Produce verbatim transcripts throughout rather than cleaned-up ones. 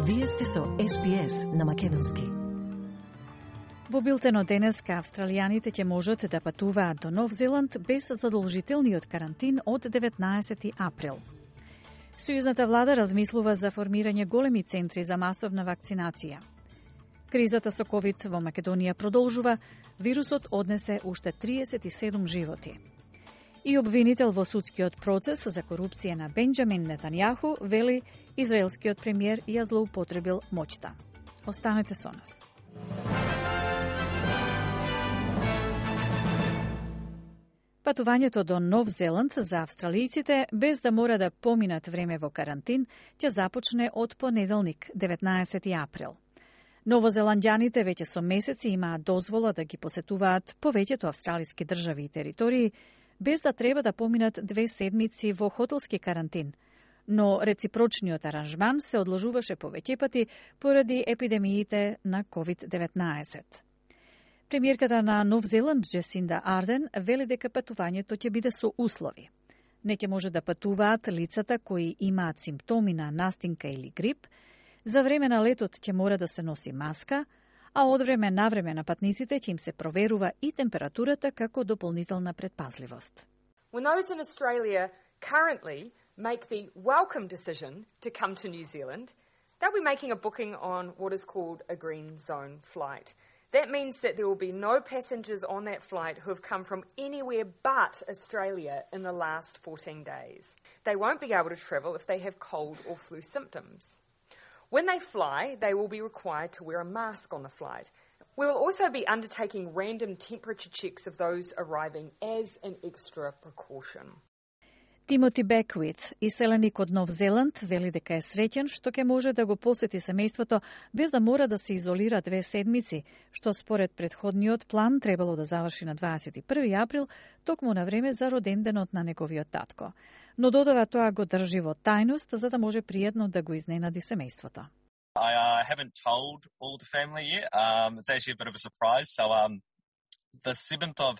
Вие сте со Ес Би Ес на македонски. Во билтено денеска австралијаните ќе можат да патуваат до Нов Зеланд без задолжителниот карантин од деветнаесети април. Сојузната влада размислува за формирање големи центри за масовна вакцинација. Кризата со ковид во Македонија продолжува, вирусот однесе уште триесет и седум животи. И обвинител во судскиот процес за корупција на Бенџамин Нетањаху вели израелскиот премиер ја злоупотребил моќта. Останете со нас. Патувањето до Нов Зеланд за австралијците без да мора да поминат време во карантин ќе започне од понеделник, деветнаесети април. Новозеланѓаните веќе со месеци имаат дозвола да ги посетуваат повеќето австралиски држави и територии, без да треба да поминат две седмици во хотелски карантин. Но реципрочниот аранжман се одложуваше повеќе пати поради епидемиите на ковид деветнаесет. Премиерката на Нов Зеланд, Джесинда Арден, вели дека патувањето ќе биде со услови. Не ќе може да патуваат лицата кои имаат симптоми на настинка или грип, за време на летот ќе мора да се носи маска, а од време на време на патниците ќе им се проверува и температурата како дополнителна предпазливост. When those in Australia currently make the welcome decision to come to New Zealand, they'll be making a booking on what is called a green zone flight. That means that there will be no passengers on that flight who have come from anywhere but Australia in the last fourteen days. They won't be able to travel if they have cold or flu symptoms. When they fly, they will be required to wear a mask on the flight. We will also be undertaking random temperature checks of those arriving as an extra precaution. Тимоти Беквит, иселеник од Нов Зеланд, вели дека е среќен што ќе може да го посети семејството без да мора да се изолира две седмици, што според претходниот план требало да заврши на дваесет и први април, токму на време за роденденот на неговиот татко. Но додава тоа го држи во тајност за да може пријатно да го изненади семејството. I uh, haven't told all the family yet. Um, it's actually a bit of a surprise. So um, the seventh of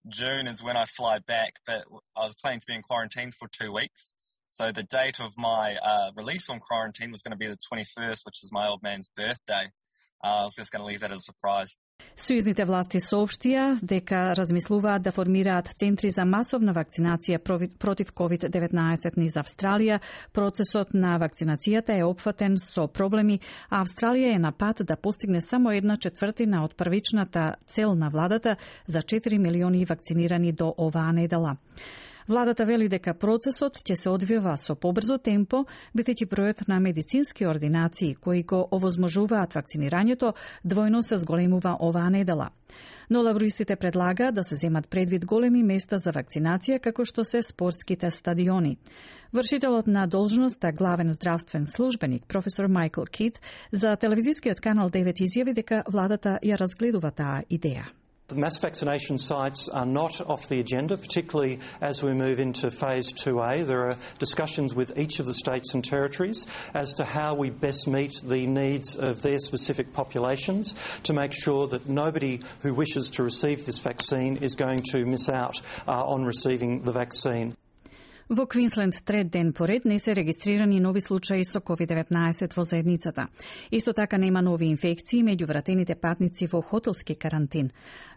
June is when I fly back, but I was planning to be in quarantine for two weeks. So the date of my uh, release from quarantine was going to be the twenty-first, which is my old man's birthday. Uh, I was just going to leave that as a surprise. Сојузните власти соопштија дека размислуваат да формираат центри за масовна вакцинација против ковид деветнаесет низ Австралија. Процесот на вакцинацијата е опфатен со проблеми, а Австралија е на пат да постигне само една четвртина од првичната цел на владата за четири милиони вакцинирани до оваа недела. Владата вели дека процесот ќе се одвива со побрзо темпо, бидејќи бројот на медицински ординации кои го овозможуваат вакцинирањето двојно се зголемува оваа недела. Но лабористите предлага да се земат предвид големи места за вакцинација како што се спортските стадиони. Вршителот на должноста главен здравствен службеник професор Майкл Кид за телевизискиот канал девет изјави дека владата ја разгледува таа идеја. The mass vaccination sites are not off the agenda, particularly as we move into phase two A. There are discussions with each of the states and territories as to how we best meet the needs of their specific populations to make sure that nobody who wishes to receive this vaccine is going to miss out uh, on receiving the vaccine. Во Квинсленд трет ден поред не се регистрирани нови случаи со ковид деветнаесет во заедницата. Исто така нема нови инфекции меѓу вратените патници во хотелски карантин.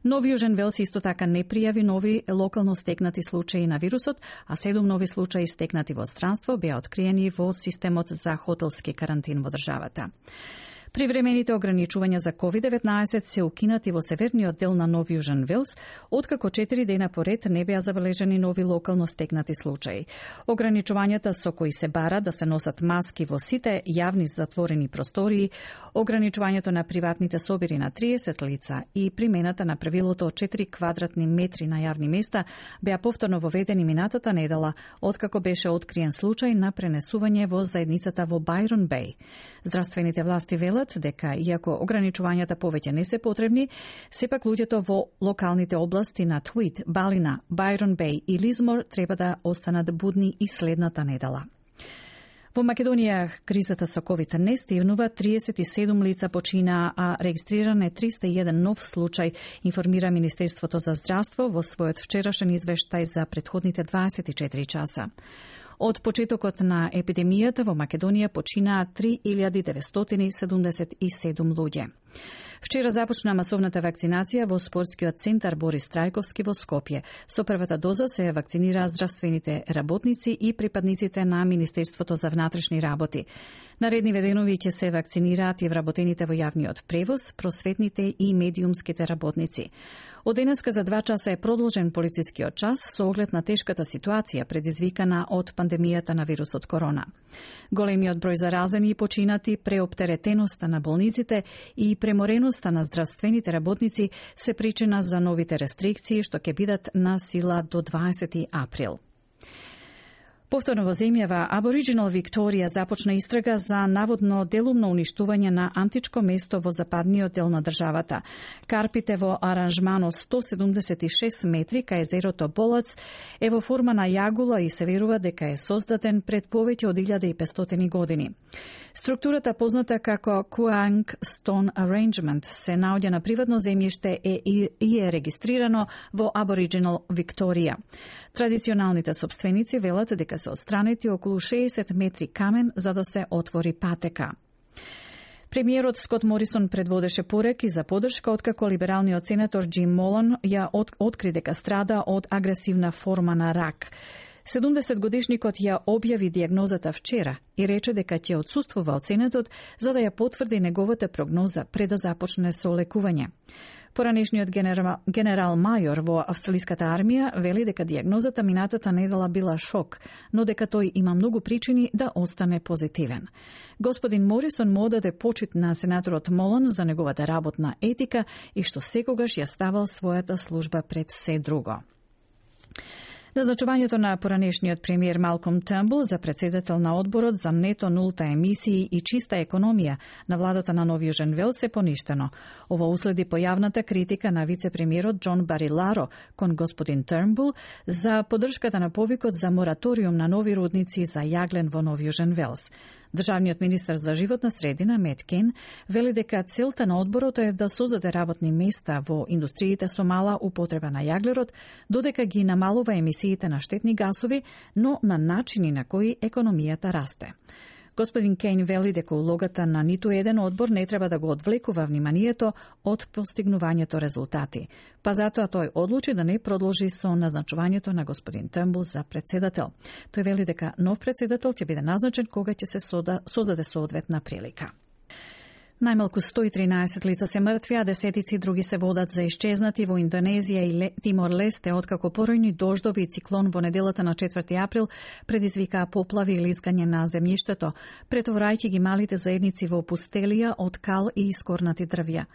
Нов Јужен Велс исто така не пријави нови локално стекнати случаи на вирусот, а седум нови случаи стекнати во странство беа откриени во системот за хотелски карантин во државата. Привремените ограничувања за ковид деветнаесет се укинати во северниот дел на Нов Јужен Велс, откако четири дена поред не беа забележани нови локално стекнати случаи. Ограничувањата со кои се бара да се носат маски во сите јавни затворени простории, ограничувањето на приватните собири на триесет лица и примената на правилото од четири квадратни метри на јавни места беа повторно воведени минатата недела, откако беше откриен случај на пренесување во заедницата во Байрон Беј. Здравствените власти велат дека, иако ограничувањата повеќе не се потребни, сепак луѓето во локалните области на Твит, Балина, Байрон Беј и Лизмор треба да останат будни и следната недела. Во Македонија кризата со ковид не стивнува, триесет и седум лица починаа, а регистриран е триста и еден нов случај, информира Министерството за здравство во својот вчерашен извештај за претходните дваесет и четири часа. Од почетокот на епидемијата во Македонија починаа три илјади деветстотини седумдесет и седум луѓе. Вчера започна масовната вакцинација во спортскиот центар Борис Трајковски во Скопје. Со првата доза се вакцинираа здравствените работници и припадниците на Министерството за внатрешни работи. Наредниве денови ќе се вакцинираат и вработените во јавниот превоз, просветните и медиумските работници. Од денеска за два часа е продолжен полицискиот час со оглед на тешката ситуација предизвикана од пандемијата на вирусот корона. Големиот број заразени и починати, преоптеретеноста на болниците и премореноста на здравствените работници се причина за новите рестрикции што ќе бидат на сила до дваесети април. Повторно во земјава, Абориджинал Викторија започна истрага за наводно делумно уништување на античко место во западниот дел на државата. Карпите во аранжмано сто седумдесет и шест метри кај езерото Болац е во форма на јагула и се верува дека е создаден пред повеќе од илјада и петстотини години. Структурата позната како Куанг Stone Arrangement се наоѓа на приватно земјиште и е регистрирано во Абориджинал Викторија. Традиционалните собственици велат дека се отстранети околу шеесет метри камен за да се отвори патека. Премиерот Скот Морисон предводеше пореки за поддршка откако либералниот сенатор Джим Молон ја от, откри дека страда од агресивна форма на рак. седумдесет годишникот ја објави дијагнозата вчера и рече дека ќе отсуствува од сенатот за да ја потврди неговата прогноза пред да започне со лекување. Поранешниот генерал, генерал мајор во австралиската армија вели дека дијагнозата минатата недела била шок, но дека тој има многу причини да остане позитивен. Господин Морисон му одаде почит на сенаторот Молон за неговата работна етика и што секогаш ја ставал својата служба пред се друго. Назначувањето на поранешниот премиер Малком Търнбул за председател на одборот за нето нулта емисии и чиста економија на владата на Нов Јужен Велс е поништено. Ова уследи појавната критика на вице-премиерот Џон Бариларо кон господин Търнбул за поддршката на повикот за мораториум на нови рудници за јаглен во Нов Јужен Велс. Државниот министер за животна средина Мет Кен вели дека целта на одборот е да создаде работни места во индустриите со мала употреба на јаглерод, додека ги намалува емисиите на штетни гасови, но на начини на кои економијата расте. Господин Кейн вели дека улогата на ниту еден одбор не треба да го одвлекува вниманието од постигнувањето резултати. Па затоа тој одлучи да не продолжи со назначувањето на господин Търнбул за председател. Тој вели дека нов председател ќе биде назначен кога ќе се создаде соодветна прилика. Најмалку сто и тринаесет лица се мртви, а десетици други се водат за исчезнати во Индонезија и Тимор-Лесте, откако поројни дождови и циклон во неделата на четврти април предизвикаа поплави и лискање на земјиштето, претоврајќи ги малите заедници во пустелија од кал и искорнати дрвја.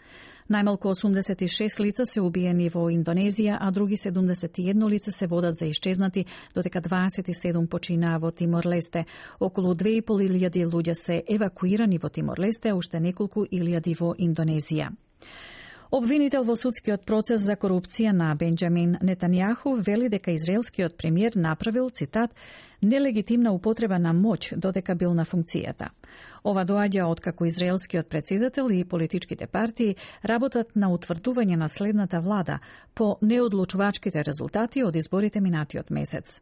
Најмалку осумдесет и шест лица се убиени во Индонезија, а други седумдесет и едно лица се водат за исчезнати, додека дваесет и седум починаа во Тимор-Лесте. Околу две и пол илјади луѓе се евакуирани во Тимор-Лесте, уште неколку илјади во Индонезија. Обвинител во судскиот процес за корупција на Бенџамин Нетањаху вели дека израелскиот премиер направил, цитат, нелегитимна употреба на моќ додека бил на функцијата. Ова доаѓа откако израелскиот претседател и политичките партии работат на утврдување на следната влада по неодлучувачките резултати од изборите минатиот месец.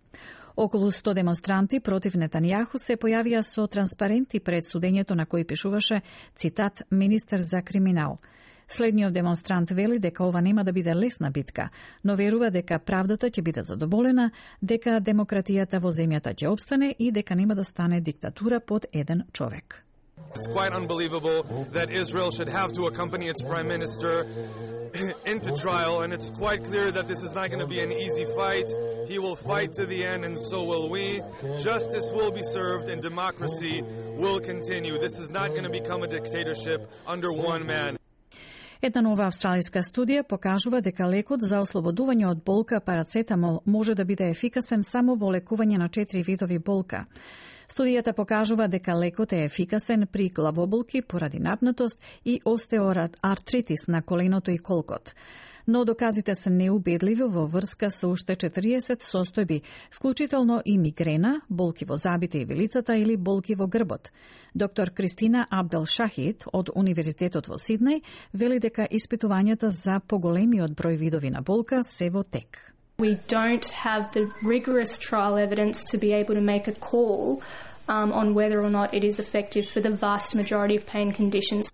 Околу сто демонстранти против Нетањаху се појавија со транспаренти пред судењето на кој пишуваше, цитат, министер за криминал. Следниот демонстрант вели дека ова нема да биде лесна битка, но верува дека правдата ќе биде задоволена, дека демократијата во земјата ќе опстане и дека нема да стане диктатура под еден човек. It's quite unbelievable that Israel should have to accompany its prime minister into trial, and it's quite clear that this is not going to be an easy fight. He will fight to the end, and so will we. Justice will be served, and democracy will continue. This is not going to become a dictatorship under one man. Една нова австралиска студија покажува дека лекот за ослободување од болка парацетамол може да биде ефикасен само во лекување на четири видови болка. Студијата покажува дека лекот е ефикасен при главоболки поради напнатост и остеоартритис на коленото и колкот. Но доказите се неубедливи во врска со уште четириесет состојби, вклучително и мигрена, болки во забите и вилицата или болки во грбот. Доктор Кристина Абдел Шахид од Универзитетот во Сиднеј вели дека испитувањата за поголемиот број видови на болка се во тек. We don't have the rigorous trial evidence to be able to make a call um, on whether or not it is effective for the vast majority of pain conditions.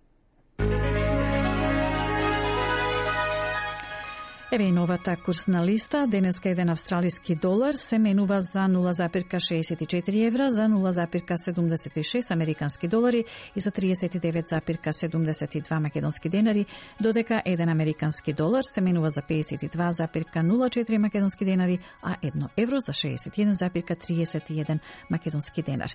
Еве и новата курсна листа. Денеска еден австралиски долар се менува за нула запирка шеесет и четири евра, за нула запирка седумдесет и шест американски долари и за тридесет и девет запирка седумдесет и два македонски денари, додека еден американски долар се менува за педесет и два запирка нула четири македонски денари, а едно евро за шеесет и еден запирка триесет и еден македонски денар.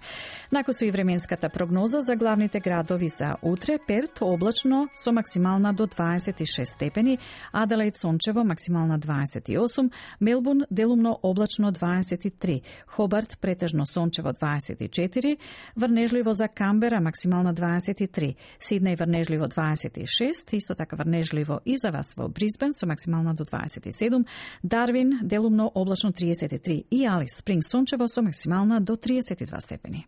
Накусу и временската прогноза за главните градови за утре: Перт облачно со максимална до дваесет и шест степени, Аделаид сончево максимална дваесет и осум, Мелбурн делумно облачно дваесет и три, Хобарт претежно сончево дваесет и четири, врнежливо за Камбера максимална дваесет и три, Сиднеј врнежливо дваесет и шест, исто така врнежливо и за вас во Брисбен со максимална до дваесет и седум, Дарвин делумно облачно триесет и три и Алис Спрингс сончево со максимална до триесет и два степени.